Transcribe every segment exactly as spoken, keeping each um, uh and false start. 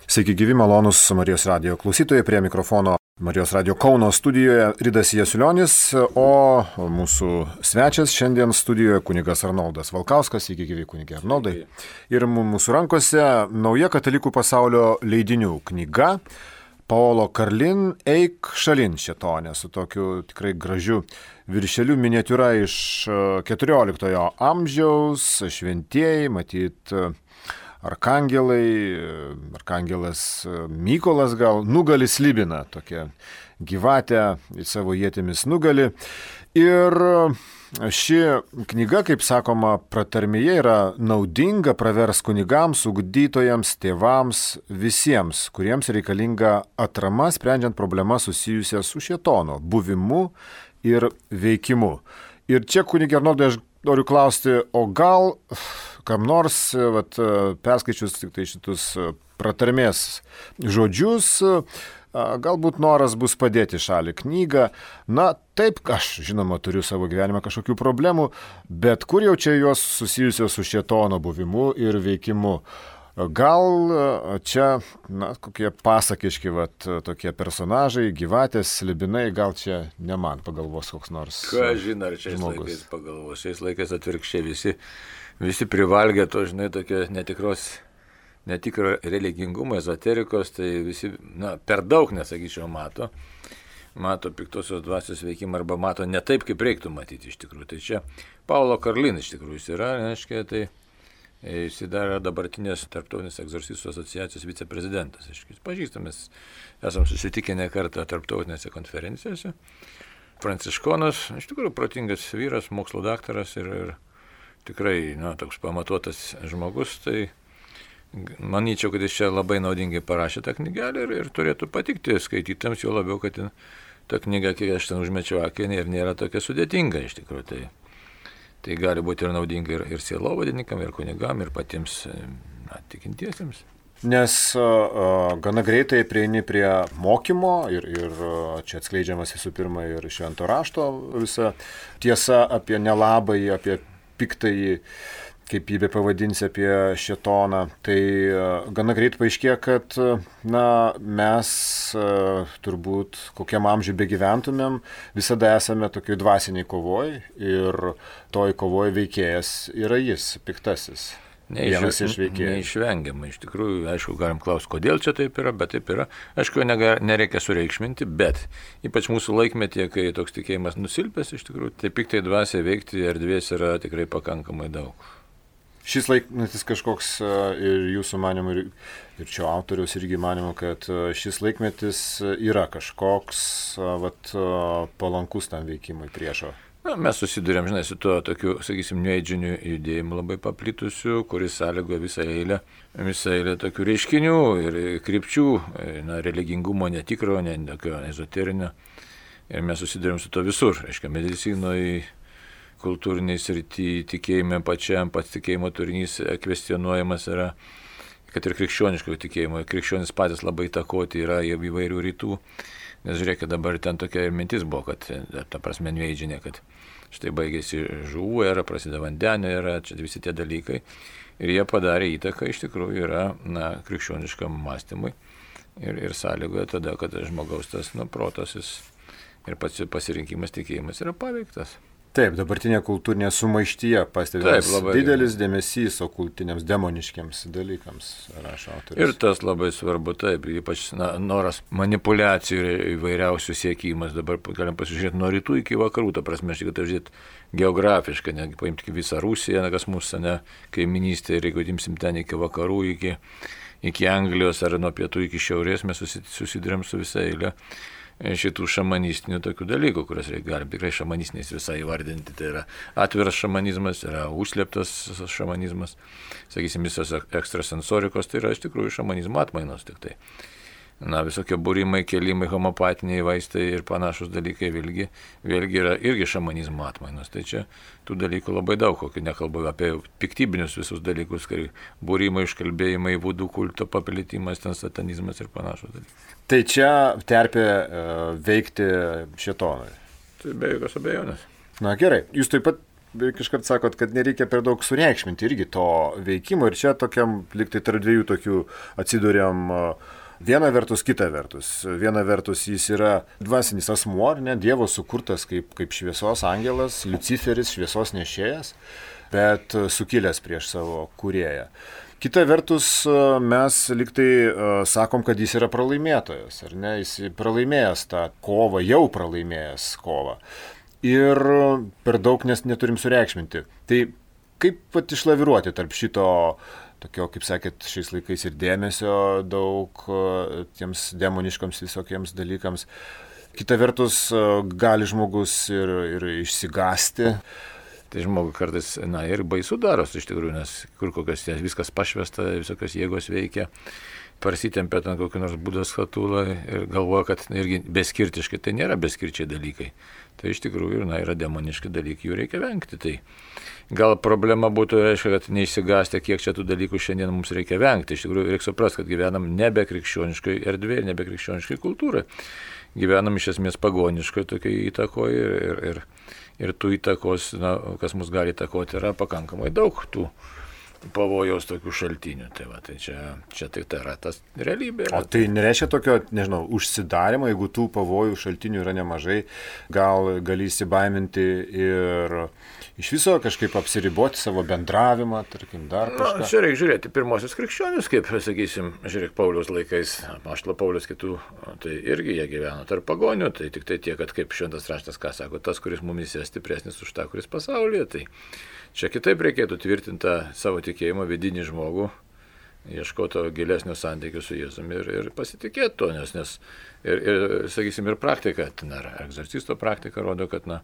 Sveiki gyvi, malonus Marijos radijo klausytojai, prie mikrofono Marijos radijo Kauno studijoje Ridas Jasulionis, o mūsų svečias šiandien studijoje kunigas Arnoldas Valkauskas. Sveiki gyvi, kunigė Arnoldai. Ir mūsų rankose nauja katalikų pasaulio leidinių knyga Paolo Karlin Eik šalin šėtone, su tokiu tikrai gražiu viršeliu, miniatiūra iš keturioliktojo amžiaus, šventieji, matyt, arkangelai, arkangelas Mykolas gal nugali slibiną, tokią gyvatę į savo ietimis nugali. Ir ši knyga, kaip sakoma, pratarmėje yra naudinga, pravers kunigams, ugdytojams, tėvams, visiems, kuriems reikalinga atrama, sprendžiant problemas susijusias su šėtono buvimu ir veikimu. Ir čia, kunigė Arnoldai, aš noriu klausti, o gal kam nors, vat, perskaičius tik tai šitus pratarmės žodžius, galbūt noras bus padėti šalį knygą. Na, taip, aš žinoma turiu savo gyvenime kažkokių problemų, bet kur jau čia jos susijusios su šėtono buvimu ir veikimu? Gal čia, na, kokie pasakiški, vat, tokie personažai, gyvatės, slibinai, gal čia ne man pagalvos koks nors žmogus. Ką žinai, ar šiais laikais pagalvos, šiais laikais atvirkščiai visi, visi privalgė to, žinai, tokie netikros, netikro religingumo, ezoterikos, tai visi, na, per daug, nesakyčiau, mato, mato piktosios dvasios veikimą arba mato ne taip, kaip reiktų matyti iš tikrųjų. Tai čia Paolo Karlin iš tikrųjų jis yra, reiškia, tai jis yra dabartinės Tarptautinės egzorcistų asociacijos viceprezidentas. Jis pažįstamas, esam susitikę ne kartą tarptautinėse konferencijose. Pranciškonas, iš tikrųjų protingas vyras, mokslo daktaras ir, ir tikrai, na, toks pamatuotas žmogus. Tai manyčiau, kad jis čia labai naudingai parašė tą knygelę ir, ir turėtų patikti skaitytams, jo labiau, kad ta knyga, kiek aš ten užmečiau akį, ir nėra tokia sudėtinga iš tikrųjų. Tai Tai gali būti ir naudinga ir, ir sielovadininkam, ir kunigam, ir patiems, na, tikintiesiems. Nes uh, gana greitai prieini prie mokymo ir, ir čia atskleidžiamas visų pirma ir švento rašto visa tiesa apie nelabąjį, apie piktąjį, kaip jį be pavadinsi, apie šėtoną. Tai uh, gana greit paaiškėja, kad uh, na, mes uh, turbūt kokiam amžiui begyventumėm, visada esame tokioj dvasiniai kovoj ir toj kovoj veikėjas yra jis, piktasis. Vienas iš veikėjų. Neišvengiamai, iš tikrųjų, aišku, galim klausti, kodėl čia taip yra, bet taip yra. Aišku, nereikia sureikšminti, bet ypač mūsų laikmetyje, kai toks tikėjimas nusilpęs, iš tikrųjų, tai piktai dvasiai veikti erdvės yra tikrai pakankamai daug. Šis laikmetis kažkoks ir jūsų manimo, ir, ir čia autoriaus irgi manimo, kad šis laikmetis yra kažkoks vat, palankus tam veikimui priešo. Na, mes susidurėm, žinai, su tuo tokiu, sakysim, neidžiniu judėjimu labai paplitusiu, kuris sąlygoja visą eilę, visą eilę tokių reiškinių ir krypčių, na, religingumo netikro, ne tokio ezoterinio. Ir mes susidurėm su to visur, reiškia, medicinoje, kultūriniai srity, tikėjime pačiam, pats tikėjimo turinys kvestionuojamas yra, kad ir krikščioniško tikėjimo. Krikščionis patys labai įtakoti yra įvairių rytų. Nes žiūrėkit, dabar ten tokia ir mintis buvo, kad, ta prasme, neidžinė, kad štai baigėsi žuvų era, prasideda vandenio era, čia visi tie dalykai. Ir jie padarė įtaką, iš tikrųjų, yra, na, krikščioniškam mąstymui. Ir, ir sąlygoja tada, kad žmogaus tas, nu, protas ir pats pasirinkimas tikėjimas yra paveiktas. Taip, dabartinė kultūrinė sumaištyje pastebimas didelis dėmesys okultiniams, demoniškiams dalykams, rašo autorius. Ir tas labai svarbu, taip, ypač na, noras manipulacijų ir įvairiausių siekimas. Dabar galim pasižiūrėti nuo rytų iki vakarų, ta prasme, aš tik tai žiūrėti geografiškai, netgi paimti visą Rusiją, kas mūsų ne, kaiminystė, ir jeigu imsim ten iki vakarų, iki, iki Anglijos ar nuo pietų iki šiaurės, mes susidurėm su visą eilę šitų šamanistinių tokių dalykų, kurias galim tikrai šamanistiniais visai įvardinti. Tai yra atviras šamanizmas, yra užslėptas šamanizmas, sakysim, visos ekstrasensorikos, tai yra iš tikrųjų šamanizmo atmainos tik tai. Na, visokie būrimai, kelimai, homopatiniai vaistai ir panašus dalykai vėlgi, vėlgi yra irgi šamanizmo atmainos. Tai čia tų dalykų labai daug, kokį nekalbu apie piktybinius visus dalykus, kai būrimai, iškalbėjimai, vudų kulto paplitimas, ten satanizmas ir panašus dalykai. Tai čia terpė uh, veikti šėtonui. Tai be jokios abejonės. Na gerai, jūs taip pat kažkart sakot, kad nereikia per daug sureikšminti irgi to veikimo ir čia tokiam liktai tarp dviejų tokių atsidūrėm viena vertus, kita vertus. Viena vertus jis yra dvasinis asmuo, ne, Dievo sukurtas kaip, kaip šviesos angelas, Liuciferis, šviesos nešėjas, bet sukilęs prieš savo kūrėją. Kita vertus, mes liktai sakom, kad jis yra pralaimėtojas, ar ne, jis pralaimėjęs tą kovą, jau pralaimėjęs kovą. Ir per daug nes neturim sureikšminti. Tai kaip pat išlaviruoti tarp šito, tokio, kaip sakėt, šiais laikais ir dėmesio daug tiems demoniškams visokiems dalykams. Kita vertus, gali žmogus ir, ir išsigąsti. Tai žmogui kartais, na, ir baisu daros iš tikrųjų, nes kur kokios viskas pašvesta, visokios jėgos veikia, parsitempia ten kokį nors būdos skatulą ir galvoja, kad irgi beskirtiškai, tai nėra beskirčiai dalykai. Tai iš tikrųjų, na, yra demoniški dalykai, jų reikia vengti. Tai gal problema būtų, reiškia, kad neišsigąsti, kiek čia tų dalykų šiandien mums reikia vengti. Iš tikrųjų, reikia suprasti, kad gyvenam nebe krikščioniškai erdvėje, nebe krikščioniškai kultūrai. Gyvenam iš esmės pagoniškai tokiai įtakoje ir, ir, ir, ir tų įtakos, na, kas mus gali įtakoti, yra pakankamai daug tų pavojaus tokių šaltinių. Tai, va, tai čia, čia tai, tai yra tas realybė. Yra. O tai nereiškia tokio, nežinau, užsidarimo, jeigu tų pavojų šaltinių yra nemažai, gal gali įsibaiminti ir iš viso kažkaip apsiriboti savo bendravimą, tarkim, dar kažką. Na, čia reikia žiūrėti pirmosius krikščionius, kaip, sakysim, žiūrėk, Pauliaus laikais, apaštalo Pauliaus kitų, tai irgi jie gyveno tarp pagonių, tai tik tai tiek, kad kaip šventas raštas, ką sako, tas, kuris mumyse stipresnis už tą, kuris pasaulyje, tai čia kitaip reikėtų tvirtinti savo tikėjimo vidinį žmogų, ieškoto gilesnio santykių su Jėzumi ir, ir pasitikėti to, nes, nes ir, ir, sakysim, ir praktika, ten ar egzorcisto praktika rodo, kad, na,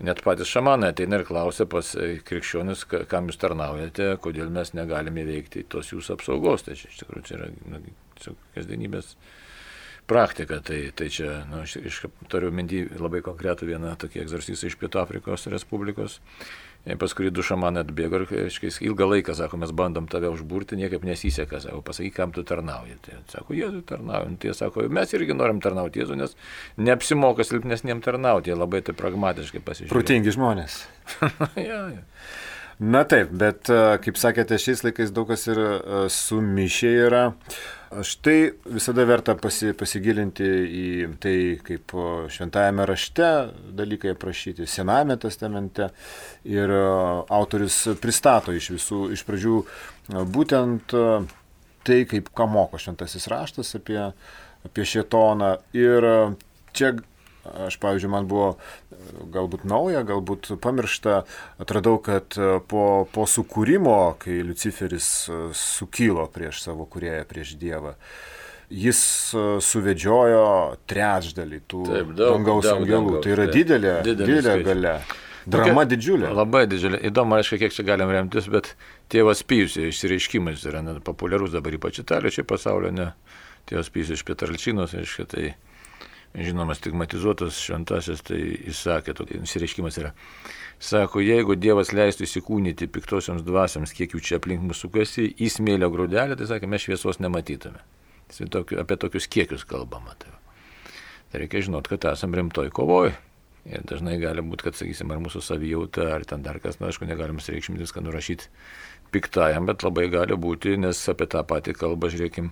net patys šamanai ateina ir klausia pas krikščionis, kam jūs tarnaujate, kodėl mes negalime įveikti tos jūsų apsaugos. Tai čia iš tikrųjų čia yra na, kasdienybės praktika. Tai, tai čia, na, aš, aš turiu minty labai konkretų vieną tokį egzorcistą iš Pietų Afrikos Respublikos. Pas kurį du šamanai atbėgo ir aiškiai, ilgą laiką, sako, mes bandom tave užburti, niekaip nesiseka, sako, pasakyk, kam tu tarnauji. Tai sako, Jėzui tarnauju. Tai sako, mes irgi norim tarnauti Jėzui, nes neapsimoka silpnesniem tarnauti, jie labai tai pragmatiškai pasižiūrėjo. Protingi žmonės. ja, ja. Na taip, bet, kaip sakėte, šiais laikais daug kas ir sumišę yra. Štai visada verta pasi, pasigilinti į tai, kaip šventajame rašte dalykai aprašyti, Senajame testamente. Ir autorius pristato iš visų, iš pradžių būtent tai, kaip ką moko šventasis raštas apie, apie šėtoną. Ir čia aš, pavyzdžiui, man buvo galbūt nauja, galbūt pamiršta, atradau, kad po, po sukūrimo, kai Liuciferis sukilo prieš savo kūrėją, prieš Dievą, jis suvedžiojo trečdalį tų Taip, daug, dangaus daug, angelų. Dangaus, tai yra tai, didelė, didelė galia. Drama Tokia, didžiulė. Labai didžiulė. Įdomu, aišku, kiek čia galim remtis, bet tėvas Pijus išsireiškimas yra ne, populiarus dabar ypač Italijoje, čia pasaulio, ne. Tėvas Pijus iš Pietralčinos, aišku, tai žinomas stigmatizuotas šventasis, tai jis sakė, tokia išsireiškimas yra. Sako, jeigu Dievas leistų įsikūnyti piktosioms dvasiams, kiek jų čia aplink mūsų sukasi, į smėlio grūdelį, tai sakė, mes šviesos nematytume. Tai tokiu, apie tokius kiekius kalbama. Tai, tai reikia žinot, kad esam rimtoj kovoj. Ir dažnai gali būti, kad, sakysim, ar mūsų savijauta, ar ten dar kas, na, aišku, negalim reikšmintis, kad nurašyti piktajam, bet labai gali būti, nes apie tą patį kalbą, žiūrėkim,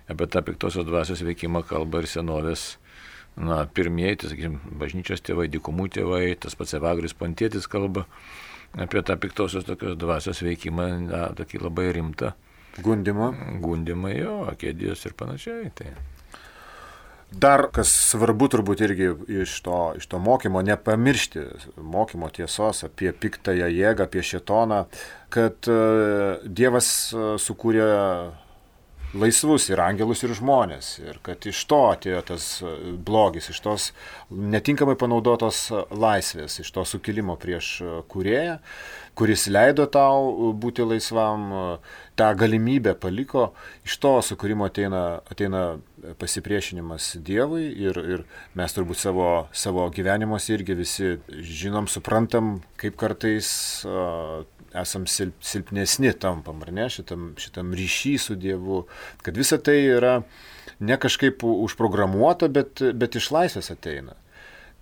apie tą piktosios dvasios veikimą kalba ir senovės. Na, pirmieji, tai, sakysim, bažnyčios tėvai, dykumų tėvai, tas pats Evagrius Pontietis kalba apie tą piktosios tokios dvasios veikimą, na, tokį labai rimtą. Gundimą. Gundimą, jo, akėdijos ir panašiai. Tai. Dar, kas svarbu turbūt irgi iš to, iš to mokymo, nepamiršti mokymo tiesos apie piktąją jėgą, apie šėtoną, kad uh, Dievas uh, sukūrė laisvus ir angelus, ir žmonės. Ir kad iš to atėjo tas blogis, iš tos netinkamai panaudotos laisvės, iš to sukilimo prieš kūrėją, kuris leido tau būti laisvam, tą galimybę paliko. Iš to sukūrimo ateina, ateina pasipriešinimas Dievui ir, ir mes turbūt savo, savo gyvenimuose irgi visi žinom, suprantam, kaip kartais uh, esam silp, silpnesni tampam, ar ne, šitam, šitam ryšy su Dievu, kad visa tai yra ne kažkaip užprogramuota, bet, bet iš laisvės ateina.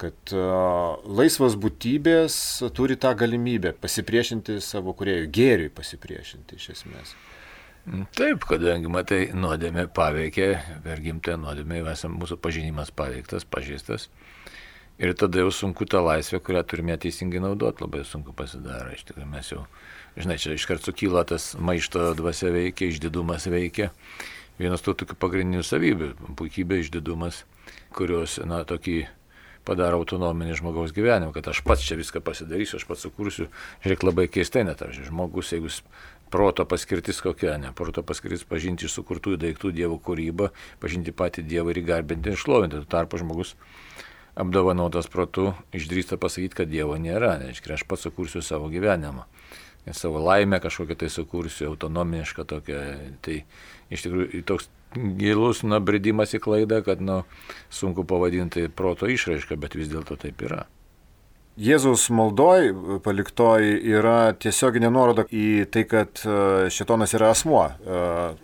kad uh, laisvos būtybės turi tą galimybę pasipriešinti savo kūrėjui, gėriui pasipriešinti iš esmės. Taip, kadangi, matai, nuodėmė paveikė, per gimtąją nuodėmę esam mūsų pažinimas paveiktas, pažeistas. Ir tada jau sunku tą laisvę, kurią turime teisingai naudoti, labai sunku pasidaro. Iš tikrųjų, mes jau, žinai, čia iškart sukyla tas maišto dvasia veikia, išdidumas veikia. Vienas tų tokių pagrindinių savybių, puikybė, išdidumas, kurios, na, tokį padaro autonominį žmogaus gyvenimą, kad aš pats čia viską pasidarysiu, aš pats sukursiu. Žiūrėk, labai keistai net, ar žmogus, jeigu proto paskirtis kokia, ne, proto paskirtis pažinti iš sukurtųjų daiktų Dievo kūrybą, pažinti patį Dievą ir įgarbinti ir šlovinti. Tuo tarpu žmogus apdovanotas protu išdrįsta pasakyti, kad Dievo nėra, reiškia, aš pats sukursiu savo gyvenimą. Ir savo laimę kažkokią tai sukursiu, autonomišką tokią. Tai iš tikrųjų toks gilus nubridimas į klaidą, kad nu, sunku pavadinti proto išraišką, bet vis dėlto taip yra. Jėzaus maldoj paliktoji yra tiesioginė nuoroda į tai, kad šėtonas yra asmuo.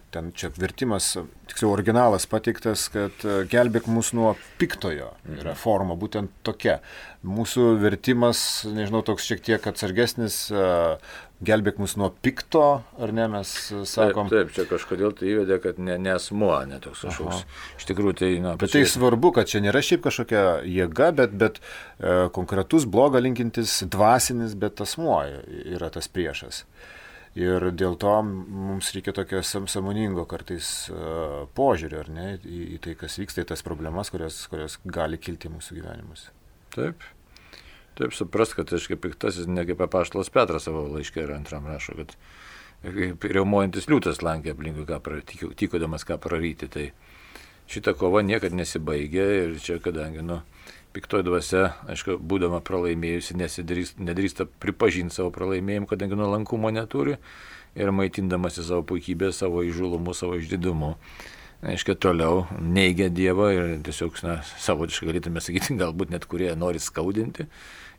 Ten čia vertimas, tiksliau originalas pateiktas, kad gelbėk mus nuo piktojo. Yra forma būtent tokia. Mūsų vertimas, nežinau, toks šiek tiek atsargesnis, gelbėk mus nuo pikto, ar ne, mes sakom. Taip, taip, čia kažkodėl tai įvedė, kad ne, ne asmuo, ne toks kažkoks. Iš tikrųjų, tai... Na, bet tai svarbu, kad čia nėra šiaip kažkokia jėga, bet, bet e, konkretus blogą linkintis dvasinis, bet asmuo yra tas priešas. Ir dėl to mums reikia tokio sąmoningo kartais uh, požiūrio, ar ne, į, į tai, kas vyksta, į tas problemas, kurios, kurios gali kilti mūsų gyvenimus. Taip. Taip suprast, kad aš kaip piktasis, ne kaip apaštalas Petras savo laiške ir antram rašo, kad kaip riaumojantis liūtas lankė aplinkui, ką pra, tykodamas ką praryti. Tai šita kova niekad nesibaigė ir čia, kadangi, nu, piktoji dvasia, aišku, būdama pralaimėjusi, nedrįsta pripažinti savo pralaimėjimą, kadangi nuolankumo neturi ir maitindamasi savo puikybę, savo įžulumu, savo išdidumu. Aišku, toliau neigia Dievą ir tiesiog, na, savotiškai galėtume sakyti, galbūt net kurie nori skaudinti.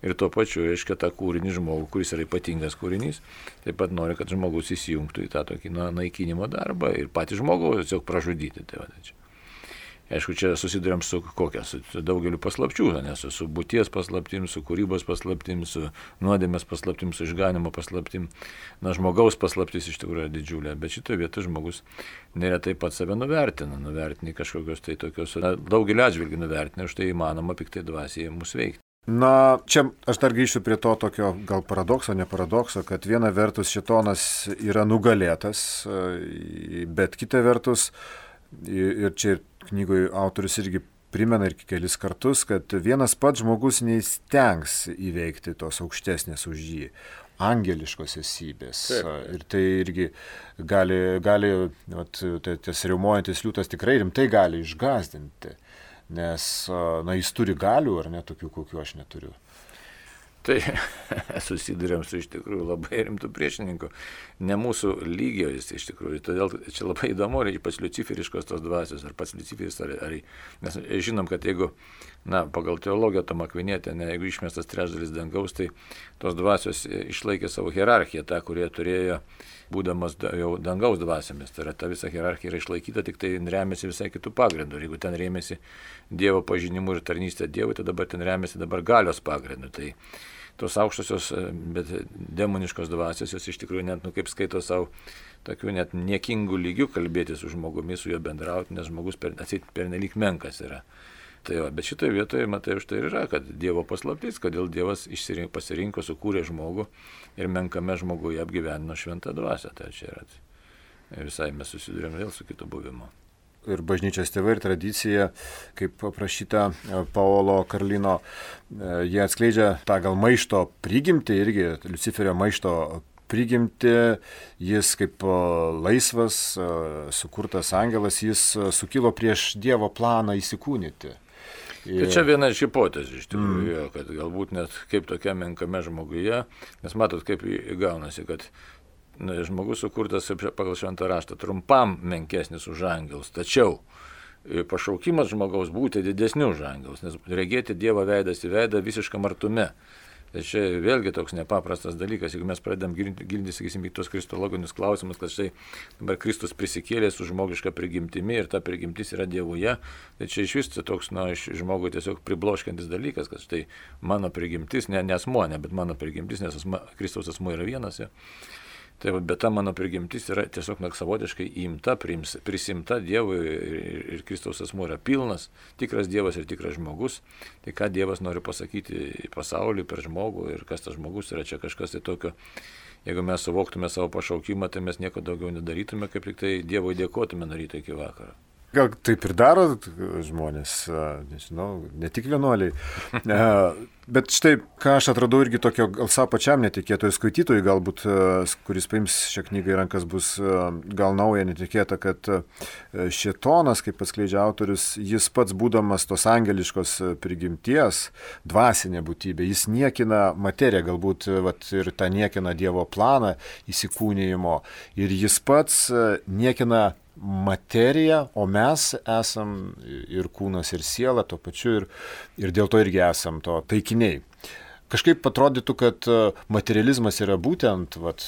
Ir tuo pačiu, aišku, tą kūrinį žmogų, kuris yra ypatingas kūrinys, taip pat nori, kad žmogus įsijungtų į tą tokį na, naikinimo darbą ir patį žmogų tiesiog pražudyti. Tai va, čia. Aišku, čia susidurėm su kokia, su daugeliu paslapčių, nes su būties paslaptim, su kūrybos paslaptim, su nuodėmės paslaptim, su išganimo paslaptim. Na, žmogaus paslaptis iš tikrųjų yra didžiulė, bet šitoje vietoje žmogus neretai pats save nuvertina, nuvertina kažkokios tai tokios, na, daugelį atžvilgių nuvertina, už tai įmanoma piktai dvasiai mus veikti. Na, čia aš dar grįšiu prie to tokio gal paradokso, ne paradokso, kad viena vertus šėtonas yra nugalėtas, bet kita vertus, ir čia ir knygoje autorius irgi primena ir kelis kartus, kad vienas pats žmogus neįstengs įveikti tos aukštesnės už jį, angeliškos esybės. Taip. Ir tai irgi gali, gali vat, tas riaumojantis liūtas tikrai rimtai gali išgąsdinti, nes na, jis turi galių, ar ne, tokių, kokių aš neturiu. Tai susidurėm su iš tikrųjų labai rimtų priešininkų, ne mūsų lygio jis iš tikrųjų, todėl čia labai įdomu, ar ypač luciferiškos tos dvasios, ar pats Luciferis, ar, ar, nes žinom, kad jeigu, na, pagal teologiją Tomą Akvinietę, ne, jeigu išmestas trečdalis dangaus, tai tos dvasios išlaikė savo hierarchiją, tą, kurie turėjo, būdamas jau dangaus dvasiamis, tai yra ta visa hierarchija yra išlaikyta, tik tai remiasi visai kitų pagrindų, ir jeigu ten rėmėsi Dievo pažinimu ir tarnystė Dievui, tai dabar ten remiasi dabar galios pagrindu. Tai tos aukštosios, bet demoniškos dvasios, jos iš tikrųjų net, nu, kaip skaito savo tokių net niekingų lygių kalbėti su žmogumi, su juo bendrauti, nes žmogus per, atsit pernelyg menkas yra. Tai va, bet šitoje vietoje, matai, už tai ir yra, kad Dievo paslaptis, kodėl Dievas išsirinko, pasirinko, sukūrė žmogų ir menkame žmoguje apgyvenino šventą dvasią. Tai čia yra. Ir visai mes susidurėm vėl su kitu buvimu. Ir bažnyčios tėvai ir tradicija, kaip aprašyta Paolo Karlino, jie atskleidžia tą gal maišto prigimtį, irgi Luciferio maišto prigimtį, jis kaip laisvas, sukurtas angelas, jis sukilo prieš Dievo planą įsikūnyti. Ir... Tai čia viena iš hipotezių iš tikrųjų, mm. kad galbūt net kaip tokia menkame žmoguje, nes matot, kaip įgaunasi, kad na, žmogus sukurtas pagal šventą raštą trumpam menkesnis už angelus, tačiau pašaukimas žmogaus būti didesniu už angelus, nes regėti Dievo veidas į veidą visiškam artume. Tai čia vėlgi toks nepaprastas dalykas, jeigu mes pradedam gilintis, sakysim, į tos kristologinius klausimus, kad štai dabar Kristus prisikėlė su žmogiška prigimtimi ir ta prigimtis yra Dievuje, tai čia iš vis toks, na, iš žmogui tiesiog pribloškiantis dalykas, kad štai mano prigimtis, ne, ne asmuo, ne, bet mano prigimtis, nes asma, Kristaus asmuo yra vienas. Ja. Tai, bet ta mano prigimtis yra tiesiog na, savotiškai įimta, priims, prisimta Dievui ir, ir, ir Kristaus asmuo yra pilnas, tikras Dievas ir tikras žmogus. Tai ką Dievas nori pasakyti pasauliui per žmogų ir kas tas žmogus yra, čia kažkas tai tokio. Jeigu mes suvoktume savo pašaukimą, tai mes nieko daugiau nedarytume, kaip tik tai Dievui dėkotume nuo ryto iki vakaro. Gal taip ir daro žmonės, nežinau, ne tik vienuoliai. Bet štai, ką aš atradau irgi tokio gal savo pačiam netikėto ir skaitytojui, galbūt, kuris paims šią knygą į rankas, bus gal nauja, netikėta, kad šėtonas, kaip atskleidžia autorius, jis pats būdamas tos angeliškos prigimties, dvasinė būtybė, jis niekina materiją, galbūt vat, ir tą niekina Dievo planą įsikūnijimo, ir jis pats niekina materija, o mes esam ir kūnas, ir siela tuo pačiu, ir, ir dėl to irgi esam to taikiniai. Kažkaip atrodytų, kad materializmas yra būtent vat,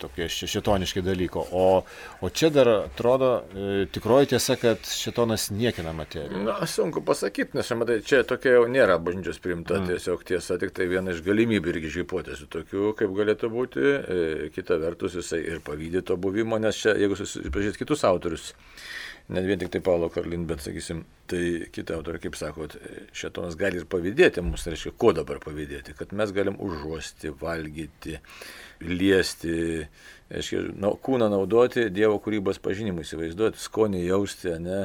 tokie šėtoniški dalyko, o, o čia dar atrodo e, tikroji tiesa, kad šėtonas niekina materiją. Na, sunku pasakyti, nes matai, čia tokia jau nėra bažnyčios priimta, mm. tiesiog tiesa, tik tai viena iš galimybių irgi hipotezių tokių, kaip galėtų būti, e, kita vertus jisai ir pavydė to buvimo, nes čia, jeigu susipažįsite kitus autorius, net vien tik tai Paulo Karlin, bet sakysim, tai kita autorė, kaip sakot, šėtonas gali ir pavydėti mums, tai reiškia, ko dabar pavydėti, kad mes galim užuosti, valgyti, liesti, reiškia, na, kūną naudoti Dievo kūrybos pažinimui, įsivaizduoti, skonį jausti, ne,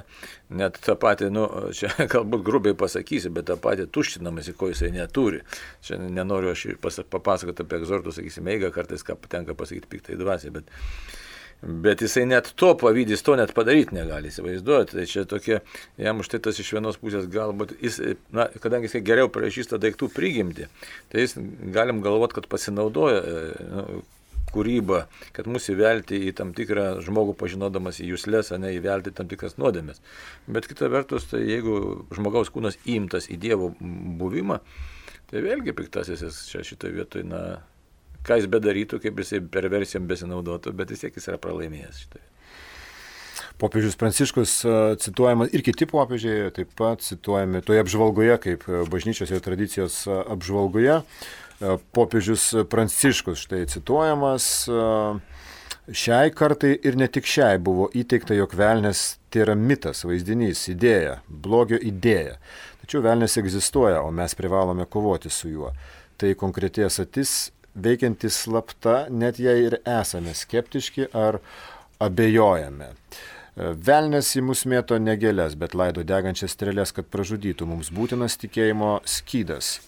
net tą patį, nu, čia galbūt grubiai pasakysi, bet tą patį tuštinamasi, ko jisai neturi. Čia nenoriu aš papasakoti apie egzortų, sakysim, eigą, kartais ką patenka pasakyti piktai dvasiai, bet Bet jisai net to pavydys, to net padaryti negali, įsivaizduoti. Tai čia tokie, jam už tai tas iš vienos pusės galbūt, jis, na, kadangi jisai geriau prašysta daiktų prigimti, tai jis galim galvoti, kad pasinaudoja nu, kūrybą, kad mus įvelti į tam tikrą žmogų pažinodamas į jūslės, o ne įvelti tam tikras nuodėmes. Bet kita vertus, tai jeigu žmogaus kūnas įimtas į Dievo buvimą, tai vėlgi piktasis jis čia šitoje vietoje, na, ką jis bedarytų, kaip jisai perversijom besinaudotų, bet vis tiek jis yra pralaimėjęs šitoje. Popiežius Pranciškus cituojamas ir kiti popiežiai taip pat cituojami toje apžvalgoje, kaip bažnyčios ir tradicijos apžvalgoje. Popiežius Pranciškus štai cituojamas, šiai kartai ir ne tik šiai buvo įteikta, jog velnias tai yra mitas, vaizdinys, idėja, blogio idėja. Tačiau velnias egzistuoja, o mes privalome kovoti su juo. Tai konkreti esatis veikiantis slapta, net jei ir esame skeptiški ar abejojame. Velnias į mus mėto ne gėles, bet laido degančias strėles, kad pražudytų. Mums būtinas tikėjimo skydas.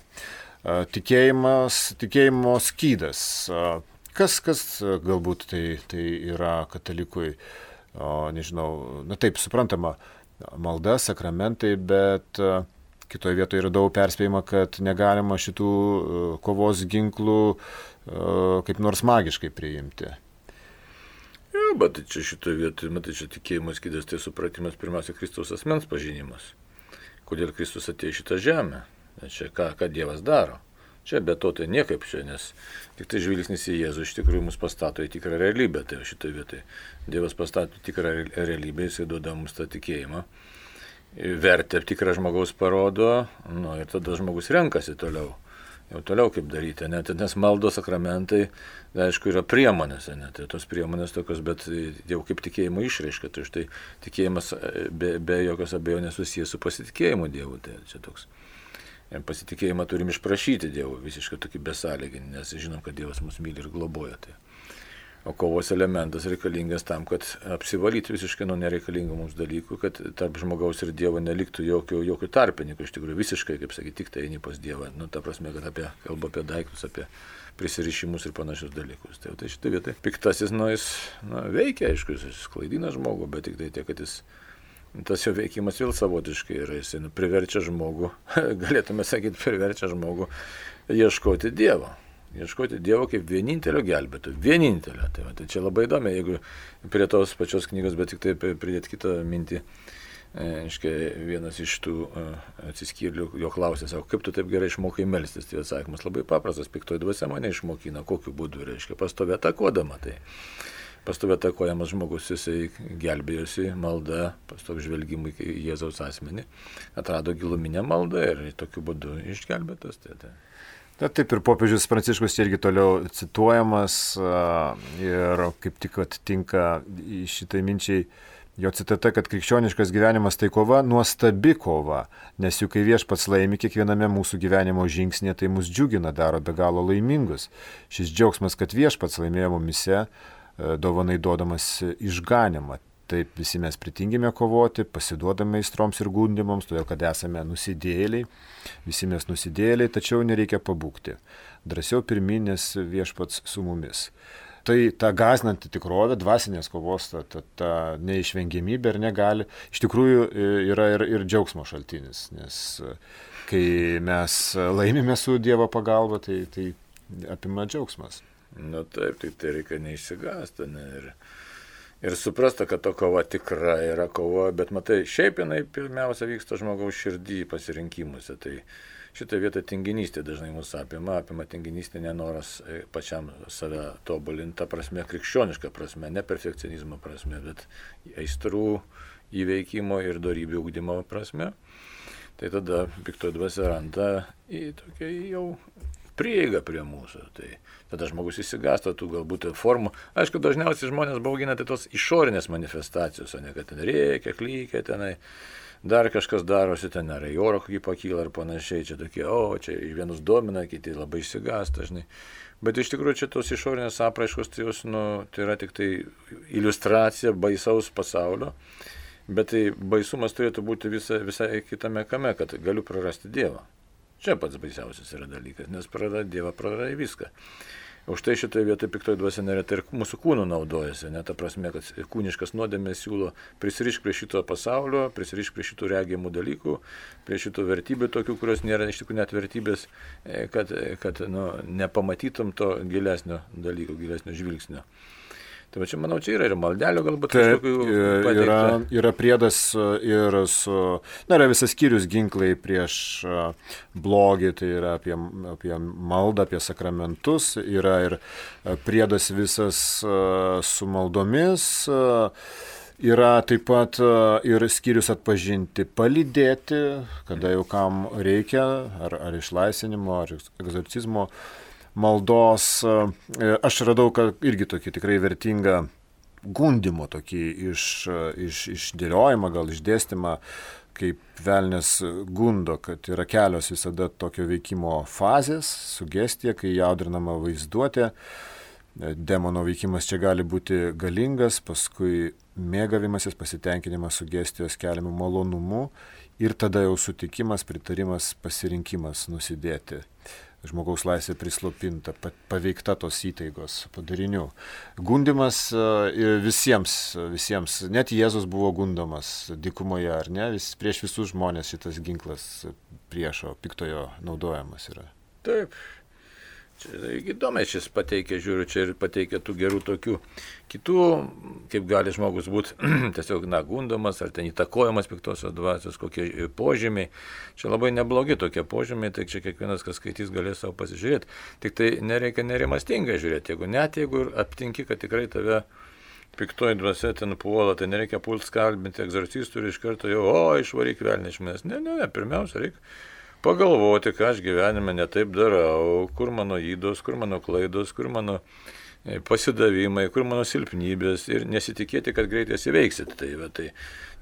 Tikėjimas, tikėjimo skydas. Kas, kas galbūt tai, tai yra katalikui, o, nežinau, na taip, suprantama, malda, sakramentai, bet kitoje vietoje yra daug perspėjama, kad negalima šitų kovos ginklų kaip nors magiškai priimti. Ja, bet čia šitoje vietoje, matai, čia tikėjimas skydas, tai supratimas pirmiausia Kristaus asmens pažinimas. Kodėl Kristus atėjo į šitą žemę? Čia ką, ką Dievas daro? Čia be to tai niekaip čia, nes tik tai žvilgsnis į Jėzų iš tikrųjų mus pastato į tikrą realybę. Tai šitoje vietoje Dievas pastato tikrą realybę, jisai duoda mums tą tikėjimą. Vertę tikrą žmogaus parodo, nu, ir tada žmogus renkasi toliau. Jau toliau kaip daryti, net, nes maldos sakramentai, tai, aišku, yra priemonės, ne, tai tos priemonės tokios, bet jau kaip tikėjimo išraiška, tai štai tikėjimas be, be jokios abejonės susijęs su pasitikėjimu Dievu, tai čia toks. Pasitikėjimą turim išprašyti Dievu, visiškai tokį besąlyginį, nes žinom, kad Dievas mus myli ir globoja. Tai. O kovos elementas reikalingas tam, kad apsivalyti visiškai nuo nereikalingų mums dalykų, kad tarp žmogaus ir Dievo neliktų jokių, jokių tarpininkų, iš tikrųjų visiškai, kaip sakyti, tik tai eini pas Dievą. Nu, ta prasme, kad apie, kalba apie daiktus, apie prisirišimus ir panašius dalykus. Tai, tai šitą vietą piktasis, nu, jis na, veikia, aišku, jis klaidina žmogų, bet tik tai tiek, kad jis, tas jo veikimas vėl savotiškai yra, jis nu, priverčia žmogų, galėtume sakyti, priverčia žmogų ieškoti Dievo. Ieškoti Dievo kaip vienintelio gelbėtojo. Vienintelio. Tai, va, tai čia labai įdomu, jeigu prie tos pačios knygos, bet tik tai pridėti kitą mintį. Aiškiai, vienas iš tų atsiskyrėlių jo klausė, sako, kaip tu taip gerai išmokai melstis? Tai atsakymas labai paprastas, piktoji dvasia mane išmokina, kokiu būdu, reiškia, pastovė atakuodama. Tai pastovė atakuojamas žmogus, jisai gelbėjosi malda, pastovė žvelgimui į Jėzaus asmenį, atrado giluminę maldą ir tokiu būdu išgelbėtas. Tai, tai. Na, taip ir popiežius Pranciškus irgi toliau cituojamas ir kaip tik atitinka į šitai minčiai jo citata, kad krikščioniškas gyvenimas tai kova, nuostabi kova, nes juk kai Viešpats laimi kiekviename mūsų gyvenimo žingsnėje, tai mus džiugina, daro be galo laimingus. Šis džiaugsmas, kad Viešpats laimėjo mumise, dovanai duodamas išganimą. Taip visi mes pritingime kovoti, pasiduodame aistroms ir gundimams, todėl kad esame nusidėjėliai, visi mes nusidėjėliai, tačiau nereikia pabūgti. Drąsiau pirmyn, nes Viešpats su mumis. Tai ta gąsdinanti tikrovė, dvasinės kovos, ta, ta, ta neišvengiamybė ir negali, iš tikrųjų yra ir, ir džiaugsmo šaltinis, nes kai mes laimime su Dievo pagalba, tai, tai apima džiaugsmas. Na taip, tai, tai reikia neišsigąsti ne, ir, ir suprasta, kad to kova tikra yra kova, bet matai, šiaip jinai pirmiausia vyksta žmogaus širdį pasirinkimuose, tai šitą vietą tinginystė dažnai mūsų apima, apima tinginystė nenoras pačiam save tobulinti, ta prasme, krikščioniška prasme, ne perfekcionizmo prasme, bet aistrų įveikimo ir dorybių ugdymo prasme. Tai tada piktoji dvasia randa į tokią jau prieigą prie mūsų. Tai tada žmogus įsigąsta tų galbūt formų. Aišku, dažniausiai žmonės baugina tai tos išorinės manifestacijos, o ne kad ten reikia, klykia tenai. Dar kažkas darosi ten, ar į oro kokį pakyla ar panašiai, čia tokie, o, čia vienus domina, kiti labai išsigąsta, žinai. Bet iš tikrųjų čia tos išorinės apraiškos, tai, jos, nu, tai yra tik tai iliustracija baisaus pasaulio, bet tai baisumas turėtų būti visa, visai kitame kame, kad galiu prarasti Dievą. Čia pats baisiausias yra dalykas, nes prarada Dievą, prarada viską. Už tai šitoje vietoje piktoji dvasia neretai ir mūsų kūnų naudojasi, ne ta prasme, kad kūniškas nuodėmės siūlo prisirišk prie šito pasaulio, prisirišk prie šitų regimų dalykų, prie šitų vertybių tokių, kurios nėra iš tikrųjų net vertybės, kad, kad nu, nepamatytum to gilesnio dalyko, gilesnio žvilgsnio. Tai va čia, manau, čia yra ir maldelio galbūt kažkokių pateikta. Yra, yra priedas ir su, na, yra visas skyrius ginklai prieš blogį, tai yra apie, apie maldą, apie sakramentus, yra ir priedas visas su maldomis, yra taip pat ir skyrius atpažinti, palydėti, kada jau kam reikia, ar, ar išlaisvinimo, ar egzorcizmo maldos. Aš radau, kad irgi tokį tikrai vertingą gundimo tokį iš, iš, išdėliojimą, gal išdėstymą, kaip velnės gundo, kad yra kelios visada tokio veikimo fazės, sugestija, kai jaudrinama vaizduotė. Demono veikimas čia gali būti galingas, paskui mėgavimasis, pasitenkinimas sugestijos keliamų malonumų ir tada jau sutikimas, pritarimas, pasirinkimas nusidėti. Žmogaus laisvė prislopinta, paveikta tos įtaigos padarinių. Gundimas visiems, visiems, net Jėzus buvo gundomas dykumoje, ar ne? Vis, prieš visus žmonės šitas ginklas priešo, piktojo naudojamas yra. Taip. Čia įdomiai šis pateikia, žiūriu, čia ir pateikia tų gerų tokių kitų, kaip gali žmogus būti tiesiog na, gundomas ar ten įtakojamas piktosios dvasios, kokie požymiai. Čia labai neblogi tokie požymiai, tai čia kiekvienas, kas skaitys, galės savo pasižiūrėti. Tik tai nereikia nerimastingai žiūrėti, jeigu net jeigu aptinki, kad tikrai tave piktoji dvasia ten puola, tai nereikia pult skalbinti egzorcistų ir iš karto jau, o, išvaryk velnį iš manęs. Ne, ne, ne, pirmiausia reikia pagalvoti, ką aš gyvenime netaip darau, kur mano ydos, kur mano klaidos, kur mano pasidavimai, kur mano silpnybės ir nesitikėti, kad greitai jas įveiksit. Tai, va, tai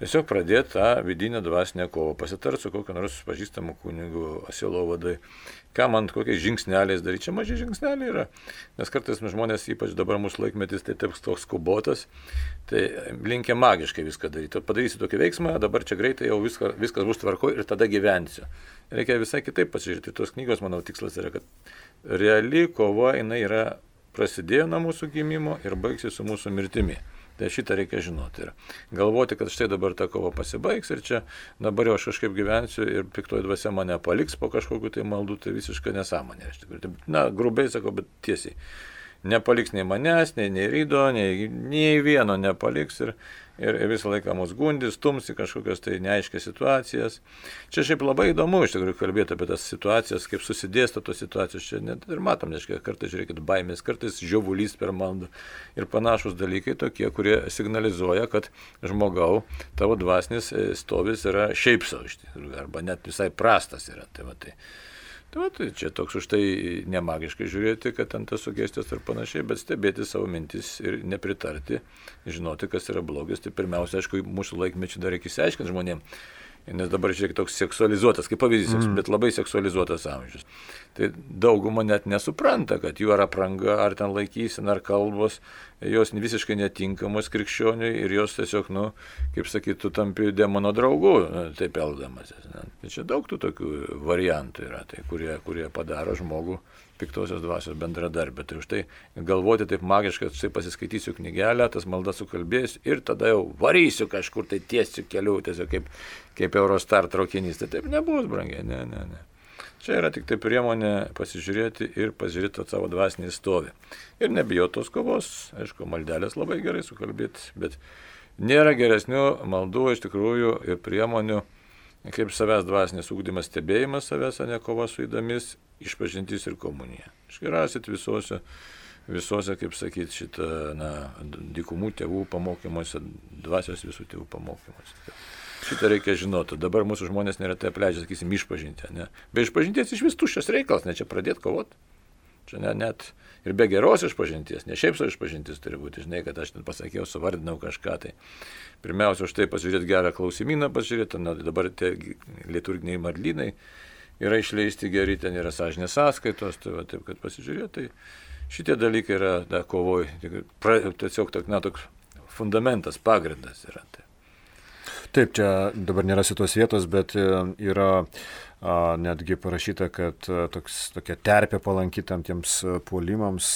tiesiog pradėti tą vidinę dvasinę kovą, pasitart su kokiu nors pažįstamu kunigu, sielovadai, ką man kokiais žingsneliais daryti. Čia maži žingsneliai yra, nes kartais žmonės, ypač dabar mūsų laikmetis, tai taip toks skubotas, tai linkia magiškai viską daryti. Padarysi tokį veiksmą, dabar čia greitai jau viską, viskas bus tvarkoj ir tada gyvensiu. Reikia visai kitaip pasižiūrėti. Tos knygos, manau, tikslas yra, kad reali kova, jinai yra prasidėjo nuo mūsų gimimo ir baigsis su mūsų mirtimi. Tai šitą reikia žinoti. Ir galvoti, kad štai dabar ta kova pasibaigs ir čia dabar jau aš kažkaip gyvensiu ir piktoji dvasia mane paliks po kažkokiu tai maldų, tai visiškai nesąmonė. Na, grubiai sakau, bet tiesiai. Nepaliks nei manęs, nei, nei rydo, nei, nei vieno nepaliks ir, ir, ir visą laiką mus gundys, stumsi kažkokios tai neaiškias situacijas. Čia šiaip labai įdomu iš tikrųjų kalbėti apie tas situacijas, kaip susidėsto tos situacijos. Čia net ir matom, reiškia, kartais žiūrėkit baimės, kartais žiovulys per maldą ir panašus dalykai tokie, kurie signalizuoja, kad žmogau tavo dvasinis stovis yra šiaip savo iš tikrųjų, arba net visai prastas yra. Tai va, tai. Tai va, tai čia toks už tai nemagiškai žiūrėti, kad ten tas sugestijos ir panašiai, bet stebėti savo mintis ir nepritarti, žinoti, kas yra blogis. Tai pirmiausia, aišku, mūsų laikmečių dar reikia išsiaiškinti žmonėms, nes dabar žiūrėk toks seksualizuotas, kaip pavyzdys, mm. bet labai seksualizuotas amžius. Tai dauguma net nesupranta, kad jų ar apranga, ar ten laikysena, ar kalbos, jos visiškai netinkamos krikščioniui ir jos tiesiog, nu, kaip sakytų, tampi demono draugu, taip elgdamasis. Tai čia daug tų tokių variantų yra, tai, kurie, kurie padaro žmogų piktosios dvasios bendradarbę. Tai už tai galvoti taip magiškai, kad štai pasiskaitysiu knygelę, tas maldas sukalbėsiu ir tada jau varysiu kažkur tai tiesiu keliu, tiesiog kaip, kaip Eurostar traukinys. Tai taip nebus, brangiai, ne, ne, ne. Čia yra tik tai priemonė pasižiūrėti ir pasižiūrėti savo dvasinį stovį. Ir nebijoti tos kovos, aišku, maldelės labai gerai sukalbėti, bet nėra geresnių maldų iš tikrųjų ir priemonių, kaip savęs dvasinis ugdymas, stebėjimas savęs, o ne kova su įdomis, išpažintis ir komunija. Iškirasit visose, visose, kaip sakyti, šitą, na, dykumų tėvų pamokymuose, dvasios visų tėvų pamokymuose. Šitą reikia žinoti. Dabar mūsų žmonės neretai apleidžia, sakysim, išpažinti. Ne? Be išpažinties iš vis tuščias reikalas, ne čia pradėti kovoti. Čia ne, net ir be geros išpažinties, ne šiaip savo išpažintis turi būti. Žinai, kad aš ten pasakiau, suvardinau kažką. Tai pirmiausia, už tai pasižiūrėti gerą klausimyną, pasižiūrėti, na, dabar tie liturginiai marlynai yra išleisti geri, ten yra sąžinės sąskaitos, tai va, taip, kad pasižiūrėti. Tai šitie dalykai yra da, kovoj, tiesiog na, toks fundamentas, pagrindas yra. Tai. Taip, čia dabar nėra šitos vietos, bet yra a, netgi parašyta, kad a, toks, tokia terpė palanki tam tiems puolimams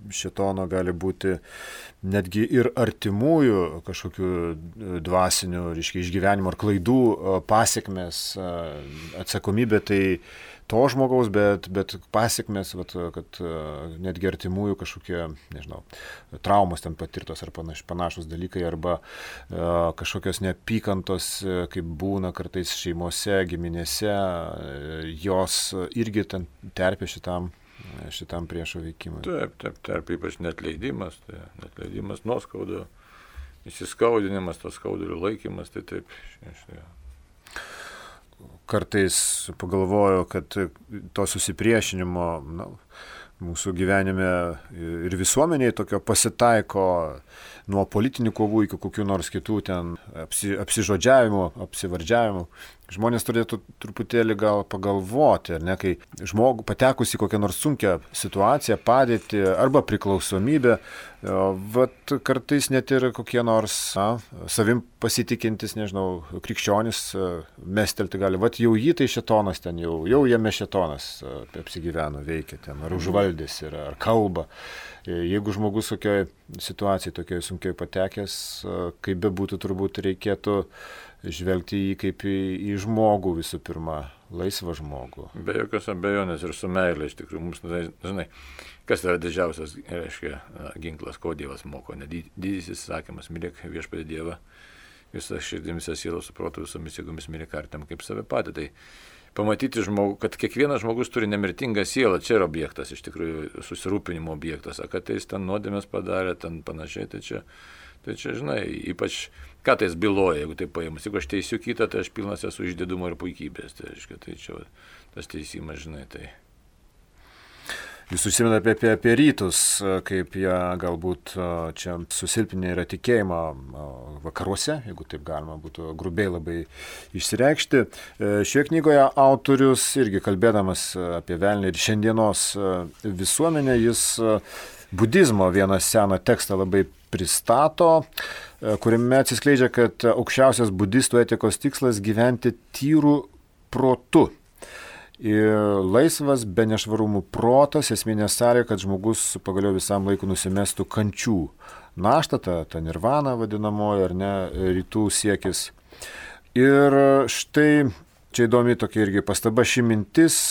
šėtono gali būti netgi ir artimųjų kažkokių dvasinių, reiškia, išgyvenimų ar klaidų a, pasiekmes, a, atsakomybė tai to žmogaus, bet, bet pasiekmes, vat, kad netgi artimųjų kažkokie, nežinau, traumos ten patirtos ar panaš, panašus dalykai, arba uh, kažkokios neapykantos, kaip būna kartais šeimose, giminėse, jos irgi ten terpia šitam, šitam priešo veikimui. Taip, taip, terpia ypač netleidimas, tai netleidimas, nuoskaudo, įsiskaudinimas, tos skaudulių laikymas, tai taip, štai. Kartais pagalvoju, kad to susipriešinimo na, mūsų gyvenime ir visuomeniai tokio pasitaiko nuo politinių kovų iki kokių nors kitų ten apsi, apsižodžiavimų, apsivardžiavimų. Žmonės turėtų truputėlį gal pagalvoti, ar ne, kai žmogų patekus į kokią nors sunkią situaciją, padėtį arba priklausomybę, vat kartais net ir kokie nors na, savim pasitikintis, nežinau, krikščionis mestelti gali, vat jau jį tai šėtonas ten, jau, jau jame šėtonas apsigyveno, veikia ten, ar užvaldys, yra, ar kalba. Jeigu žmogus tokioje situacijoje, tokioje sunkiai patekęs, kaip be būtų, turbūt reikėtų žvelgti jį kaip į, į žmogų visų pirma, laisvą žmogų. Be jokios abejonės ir su meilė, iš tikrųjų, mums, žinai, kas yra didžiausias, reiškia, ginklas, ko Dievas moko, ne didysis įsakymas, mylėk viešpatį Dievą, visą širdį, visą sielą, suprotu, visomis jėgomis mylėk artimą kaip save patį. Tai pamatyti žmogų, kad kiekvienas žmogus turi nemirtingą sielą, čia yra objektas, iš tikrųjų susirūpinimo objektas, o kad jis ten nuodėmės padarė, ten panašiai, tai čia, tai čia, žinai, ypač, ką tai jis byloja, jeigu tai paimas, jeigu aš teisiu kitą, tai aš pilnas esu išdidumo ir puikybės, tai, reiškia, tai čia tas teisimas, žinai, tai. Jūs užsiminate apie, apie, apie rytus, kaip jie galbūt čia susilpinę yra tikėjimą vakaruose, jeigu taip galima būtų grubiai labai išsireikšti. Šioje knygoje autorius irgi kalbėdamas apie velnį ir šiandienos visuomenę, jis budizmo vieną seną tekstą labai pristato, kuriame atsiskleidžia, kad aukščiausias budistų etikos tikslas gyventi tyrų protu. Ir laisvas be nešvarumų protas, esminė sąlyga, kad žmogus pagaliau visam laiku nusimestų kančių naštą, ta, ta nirvana vadinamoji, ar ne, rytų siekis. Ir štai čia įdomi tokia irgi pastaba, ši mintis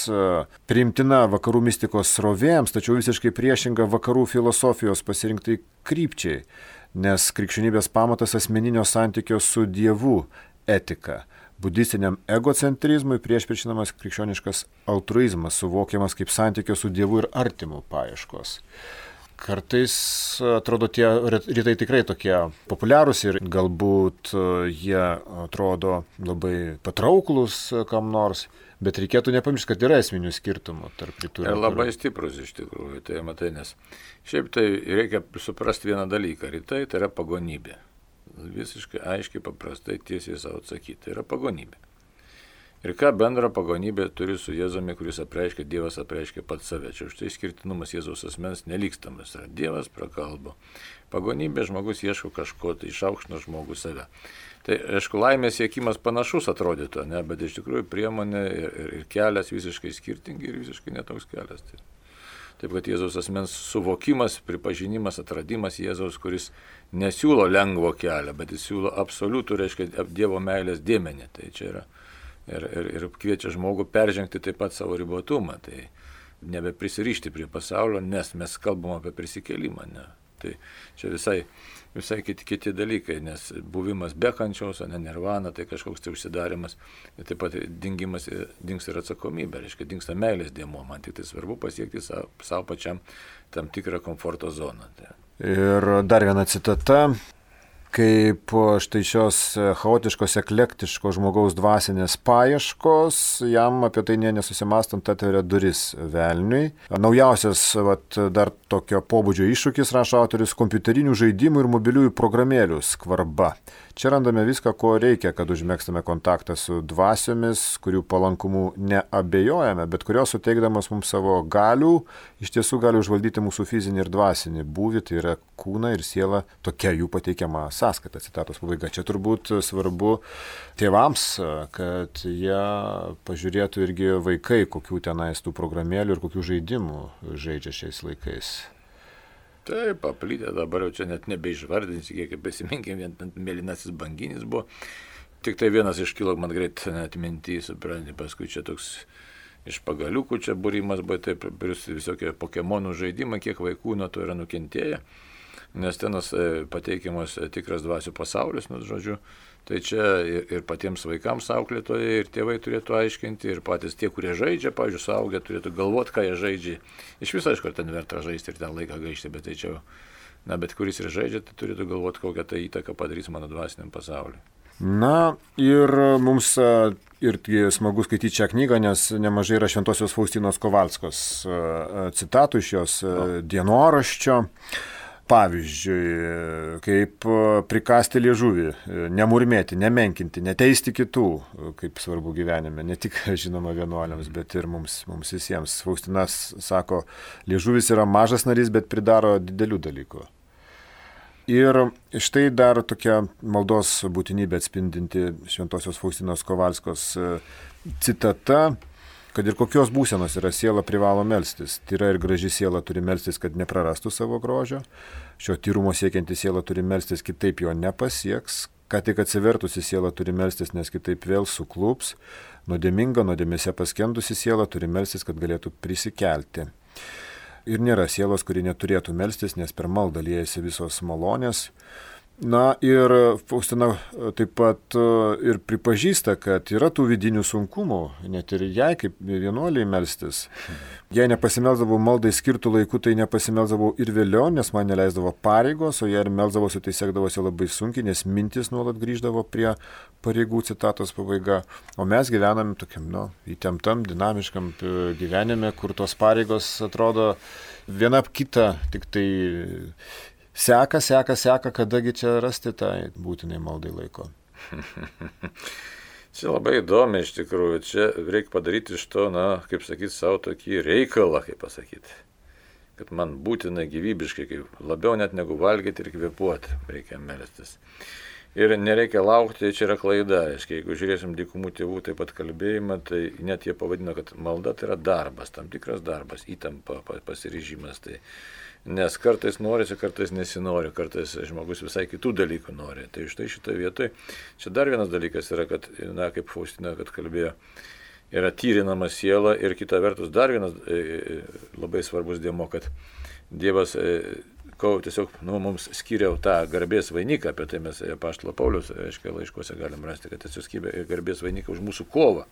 priimtina vakarų mistikos srovėms, tačiau visiškai priešinga vakarų filosofijos pasirinktai krypčiai. nes krikščionybės pamatas asmeninio santykio su Dievu etika. Budistiniam egocentrizmui priešpriešinamas krikščioniškas altruizmas, suvokiamas kaip santykio su Dievu ir artimu paieškos. Kartais atrodo tie rytai tikrai tokie populiarūs ir galbūt jie atrodo labai patrauklus kam nors, bet reikėtų nepamiršti, kad yra esminių skirtumų tarp rytų ir vakarų. Labai stiprus iš tikrųjų, tai matai, nes šiaip tai reikia suprasti vieną dalyką, rytai tai yra pagonybė. Visiškai aiškiai, paprastai, tiesiai savo atsakyti. Tai yra pagonybė. Ir ką bendra pagonybė turi su Jėzumi, kuris apreiškia, Dievas apreiškia pats save. Čia už tai skirtinumas Jėzaus asmens nelykstamas. Yra Dievas prakalbo. Pagonybė žmogus ieško kažko, tai išaukština žmogus save. Tai, aišku, laimės siekimas panašus atrodytų, ne? Bet iš tikrųjų priemonė ir, ir, ir kelias visiškai skirtingi ir visiškai netoks kelias. Tai. Taip, kad Jėzaus asmens suvokimas, pripažinimas, atradimas Jėzaus, kuris nesiūlo lengvo kelio, bet jis siūlo absoliutų, reiškia, Dievo meilės dėmenį. Tai čia yra ir, ir, ir kviečia žmogų peržengti taip pat savo ribotumą. Tai nebeprisirišti prie pasaulio, nes mes kalbam apie prisikėlimą. Ne? Tai čia visai, visai kiti, kiti dalykai, nes buvimas be kančios, ne nirvana, tai kažkoks tai užsidarimas, ir taip pat dingimas, dings ir atsakomybė, reiškia, dingsta meilės dėmuo, man tik tai svarbu pasiekti savo, savo pačiam tam tikrą komforto zoną. Tai. Ir dar viena citata, kaip štai šios chaotiškos, eklektiškos žmogaus dvasinės paieškos, jam apie tai nė nesusimastant atveria duris velniui. Naujausias vat, dar tokio pobūdžio iššūkis, rašo autorius, kompiuterinių žaidimų ir mobiliųjų programėlių skvarba. Čia randame viską, ko reikia, kad užmėgstame kontaktą su dvasiomis, kurių palankumu neabejojame, bet kurios suteikdamas mums savo galių, iš tiesų gali užvaldyti mūsų fizinį ir dvasinį būvį, tai yra kūną ir sielą, tokia jų pateikiama sąskaita, citatos pabaiga. Čia turbūt svarbu tėvams, kad jie pažiūrėtų irgi vaikai, kokių tenais tų programėlių ir kokių žaidimų žaidžia šiais laikais. Taip, paplitę dabar jau čia net nebeišvardinsi, kiek prisiminkim, vien mėlynasis banginis buvo. Tik tai vienas iškilo man greit net mintį, supranti, paskui čia toks iš pagaliukų čia būrimas, bet taip, visokie Pokemonų žaidimai, kiek vaikų nuo to yra nukentėję, nes tenas pateikiamas tikras dvasių pasaulis, nu, žodžiu. Tai čia ir, ir patiems vaikams auklėtojai, ir tėvai turėtų aiškinti, ir patys tie, kurie žaidžia, pavyzdžiui, suaugę, turėtų galvoti, ką jie žaidžia. Iš viso, aišku, ten verta žaisti ir ten laiką gaišti, bet tai čia, na, bet kuris ir žaidžia, tai turėtų galvoti, kokią tai įtaką padarys mano dvasiniam pasauliu. Na, ir mums ir smagu skaityti šią knygą, nes nemažai yra Šventosios Faustinos Kovalskos citatų iš jos dienoraščio. Pavyzdžiui, kaip prikasti liežuvį, nemurmėti, nemenkinti, neteisti kitų, kaip svarbu gyvenime, ne tik, žinoma, vienuoliams, bet ir mums, mums visiems. Faustinas sako, liežuvis yra mažas narys, bet pridaro didelių dalykų. Ir štai dar tokia maldos būtinybė atspindinti Šventosios Faustinos Kovalskos citata, kad ir kokios būsenos yra siela privalo melstis. Tyra ir graži siela turi melstis, kad neprarastų savo grožio. Šio tyrumo siekianti siela turi melstis, kitaip jo nepasieks. Ką tik atsivertusi siela turi melstis, nes kitaip vėl suklups. Nuodėminga, nuodėmėse paskendusi siela turi melstis, kad galėtų prisikelti. Ir nėra sielos, kuri neturėtų melstis, nes per maldą liejasi visos malonės. Na ir Faustina taip pat ir pripažįsta, kad yra tų vidinių sunkumų, net ir jai kaip vienuoliai melstis. Jei nepasimelsdavau maldai skirtų laikų, tai nepasimelsdavau ir vėliau, nes man neleisdavo pareigos, o jei ir melsdavosi, tai sekdavosi labai sunkiai, nes mintis nuolat grįždavo prie pareigų, citatos pabaiga. O mes gyvename tokiam, nu, įtemptam, dinamiškam gyvenime, kur tos pareigos atrodo viena kita, tik tai Seka, seka, seka, kadagi čia rasti tai būtinai maldai laiko. Čia labai įdomi iš tikrųjų. Čia reikia padaryti iš to, na, kaip sakyti, savo tokį reikalą, kaip pasakyti. Kad man būtinai gyvybiškai, kaip labiau net negu valgyti ir kvėpuoti, reikia melstis. Ir nereikia laukti, čia yra klaida. Aiškiai, jeigu žiūrėsim dykumų tėvų taip pat kalbėjimą, tai net jie pavadino, kad malda tai yra darbas, tam tikras darbas, įtampa, pasiryžimas. Tai nes kartais norisi, kartais nesinori, kartais žmogus visai kitų dalykų nori. Tai štai šitoje vietoje, čia dar vienas dalykas yra, kad, na, kaip Faustina, kad kalbėjo, yra tyrinama siela ir kita vertus dar vienas e, labai svarbus dėmo, kad Dievas e, ko tiesiog nu, mums skiriau tą garbės vainiką, apie tai mes apaštalo Pauliaus, aiškiai, laiškuose galim rasti, kad tiesiog skiria garbės vainiką už mūsų kovą.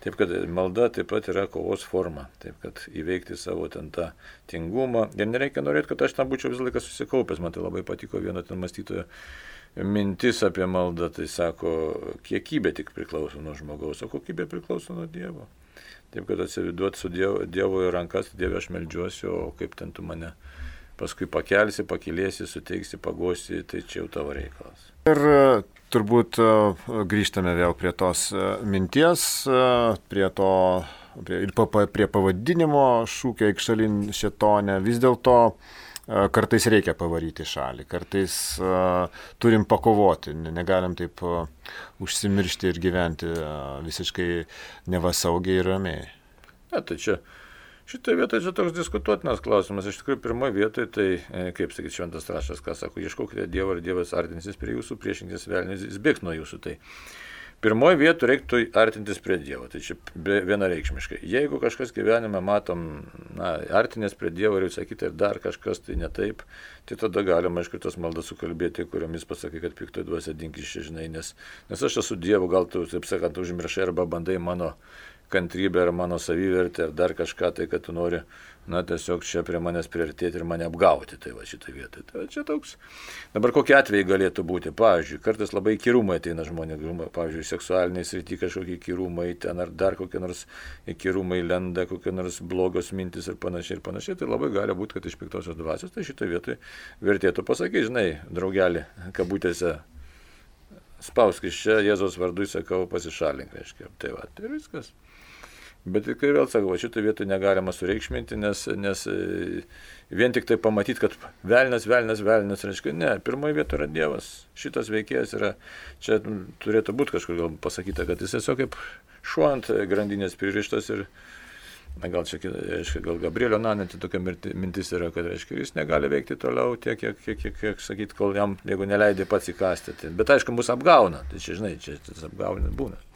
Taip, kad malda taip pat yra kovos forma, taip, kad įveikti savo ten tą tingumą. Ir nereikia norėti, kad aš tam būčiau visą laiką susikaupęs, man tai labai patiko vieno ten mąstytojo mintis apie maldą, tai sako, kiekybė tik priklauso nuo žmogaus, o kokybė priklauso nuo Dievo. Taip, kad atsividuoti su Dievo, Dievo į rankas, Dieve aš meldžiuosi, o kaip ten tu mane paskui pakelsi, pakilėsi, suteiksi, pagosi, tai čia jau tavo reikalas. Ir turbūt grįžtame vėl prie tos minties, prie to, prie, ir prie pavadinimo šūkio Eikšalin šėtone. Vis dėlto kartais reikia pavaryti šalį, kartais uh, turim pakovoti, negalim taip uh, užsimiršti ir gyventi uh, visiškai nevasaugiai ir ramiai. Ne, tai čia, šitoje vietoje čia toks diskutuotinas klausimas. Iš tikrųjų, pirmoje vietoje, tai, kaip sakyti, šventas raštas, ką sako, ieškokite Dievo ir Dievas artinsis prie jūsų, priešinkis velnis, jis bėgs nuo jūsų. Tai pirmoje vietoje reiktų artintis prie Dievo, tai čia vienareikšmiškai. Jeigu kažkas gyvenime matom, na, artinės prie Dievo ir visą kitą ir dar kažkas tai ne taip, tai tada galima, aišku, tas maldas sukalbėti, kuriomis pasakai, kad piktoji dvasia dink iš čia, žinai, nes, nes aš esu Dievu, gal tu, taip sakant, užmiršai arba bandai mano kantrybę ar mano savivertę ar dar kažką, tai kad tu nori, na, tiesiog čia prie manęs priartėti ir mane apgauti, tai va šitą vietą. Tai va čia toks. Dabar kokie atvejai galėtų būti? Pavyzdžiui, kartais labai įkyrumai ateina žmonės, pavyzdžiui, seksualiniai srity kažkokie įkyrumai, ten ar dar kokie nors įkyrumai lenda, kokie nors blogos mintis ir panašiai ir panašiai, tai labai gali būti, kad iš piktosios dvasios, tai šitą vietą vertėtų pasakyti, žinai, draugelį, kabutėse, spausk iš čia, Jėzaus vardu įsakau, pasišalink, reiškia, tai va, tai viskas. Bet kai vėl sakau, šitą vietą negalima sureikšminti, nes, nes vien tik tai pamatyti, kad velnas, velnas, velnas, reiškia, ne, pirmoje vietoje yra Dievas, šitas veikėjas yra, čia turėtų būti kažkur gal pasakyta, kad jis tiesiog kaip šuo ant grandinės pririštas ir, na, gal čia, reiškia, gal Gabrielio Nanetė tokia mintis yra, kad, reiškia, jis negali veikti toliau tiek, kiek, kiek, kiek, kiek sakyt, kol jam, jeigu neleidai pats įkastyti. Bet aišku, mus apgauna, tai čia, žinai, čia tas apgaunas būna.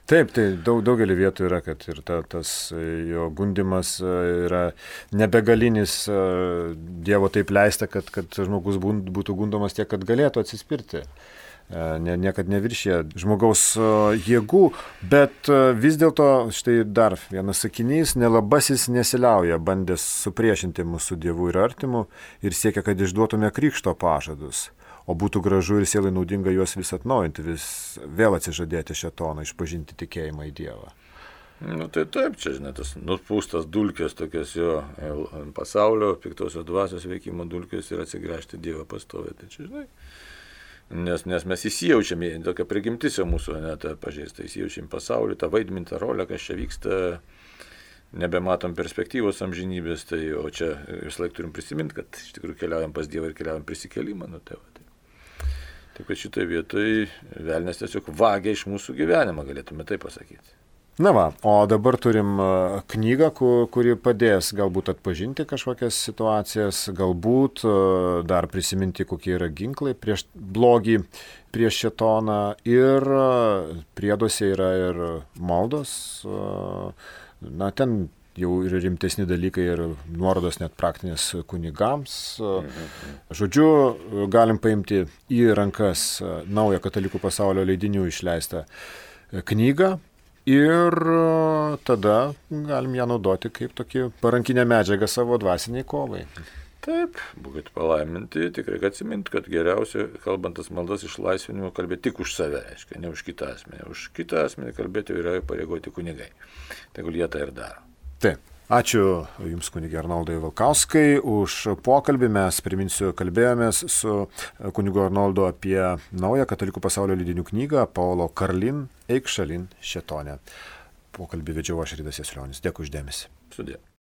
Taip, tai daug, daugelį vietų yra, kad ir ta, tas jo gundimas yra nebegalinis, Dievo taip leista, kad, kad žmogus būtų gundomas tiek, kad galėtų atsispirti. Ne, niekad neviršė žmogaus jėgų, bet vis dėlto, štai dar vienas sakinys, nelabasis nesiliauja, bandęs supriešinti mūsų Dievu ir artimu ir siekia, kad išduotume krikšto pažadus. O būtų gražu ir sielai naudinga juos vis atnaujinti, vis vėl atsižadėti šėtoną, išpažinti tikėjimą į Dievą. Nu tai taip, čia, žinai, tas nupūstas dulkės tokias jo pasaulio, piktosios dvasios veikimo dulkės ir atsigręžti Dievą pastovę. Tai čia, žinai, nes, nes mes įsijaučiame, tokia prigimtis jau mūsų, net pažeista, įsijaučiam pasaulį, tą vaidmintą rolę, kas čia vyksta, nebematom perspektyvos amžinybės, tai o čia vis laik turim prisiminti, kad iš tikrųjų keliaujam pas Dievą ir keliaujam prisikėlimą, nu tai va. Tai. Taip, kad šitoje vietoje velnias tiesiog vagia iš mūsų gyvenimą, galėtume tai pasakyti. Na va, o dabar turim knygą, kuri padės galbūt atpažinti kažkokias situacijas, galbūt dar prisiminti, kokie yra ginklai prieš blogį, prieš šėtoną ir prieduose yra ir maldos, na ten jau ir rimtesni dalykai ir nuorodos net praktinės kunigams. Žodžiu, galim paimti į rankas naują Katalikų pasaulio leidinių išleistą knygą ir tada galim ją naudoti kaip tokį parankinę medžiagą savo dvasiniai kovai. Taip, būkit palaiminti, tikrai atsimint, kad geriausia, kalbant tas maldas išlaisvinimo, kalbėti tik už save, aiškiai, ne už kitą asmenį. Už kitą asmenį kalbėti yra pareigoti kunigai. Tegul jie tai ir daro. Taip. Ačiū Jums, kunige Arnoldai Valkauskai, už pokalbį. Mes, priminsiu, kalbėjomės su kunigu Arnoldu apie naują Katalikų pasaulio leidinių knygą Paulo Karlin Eikšalin šėtone. Pokalbį vedžiau aš, Ridas Jasulionis. Dėkui už dėmesį. Sudie.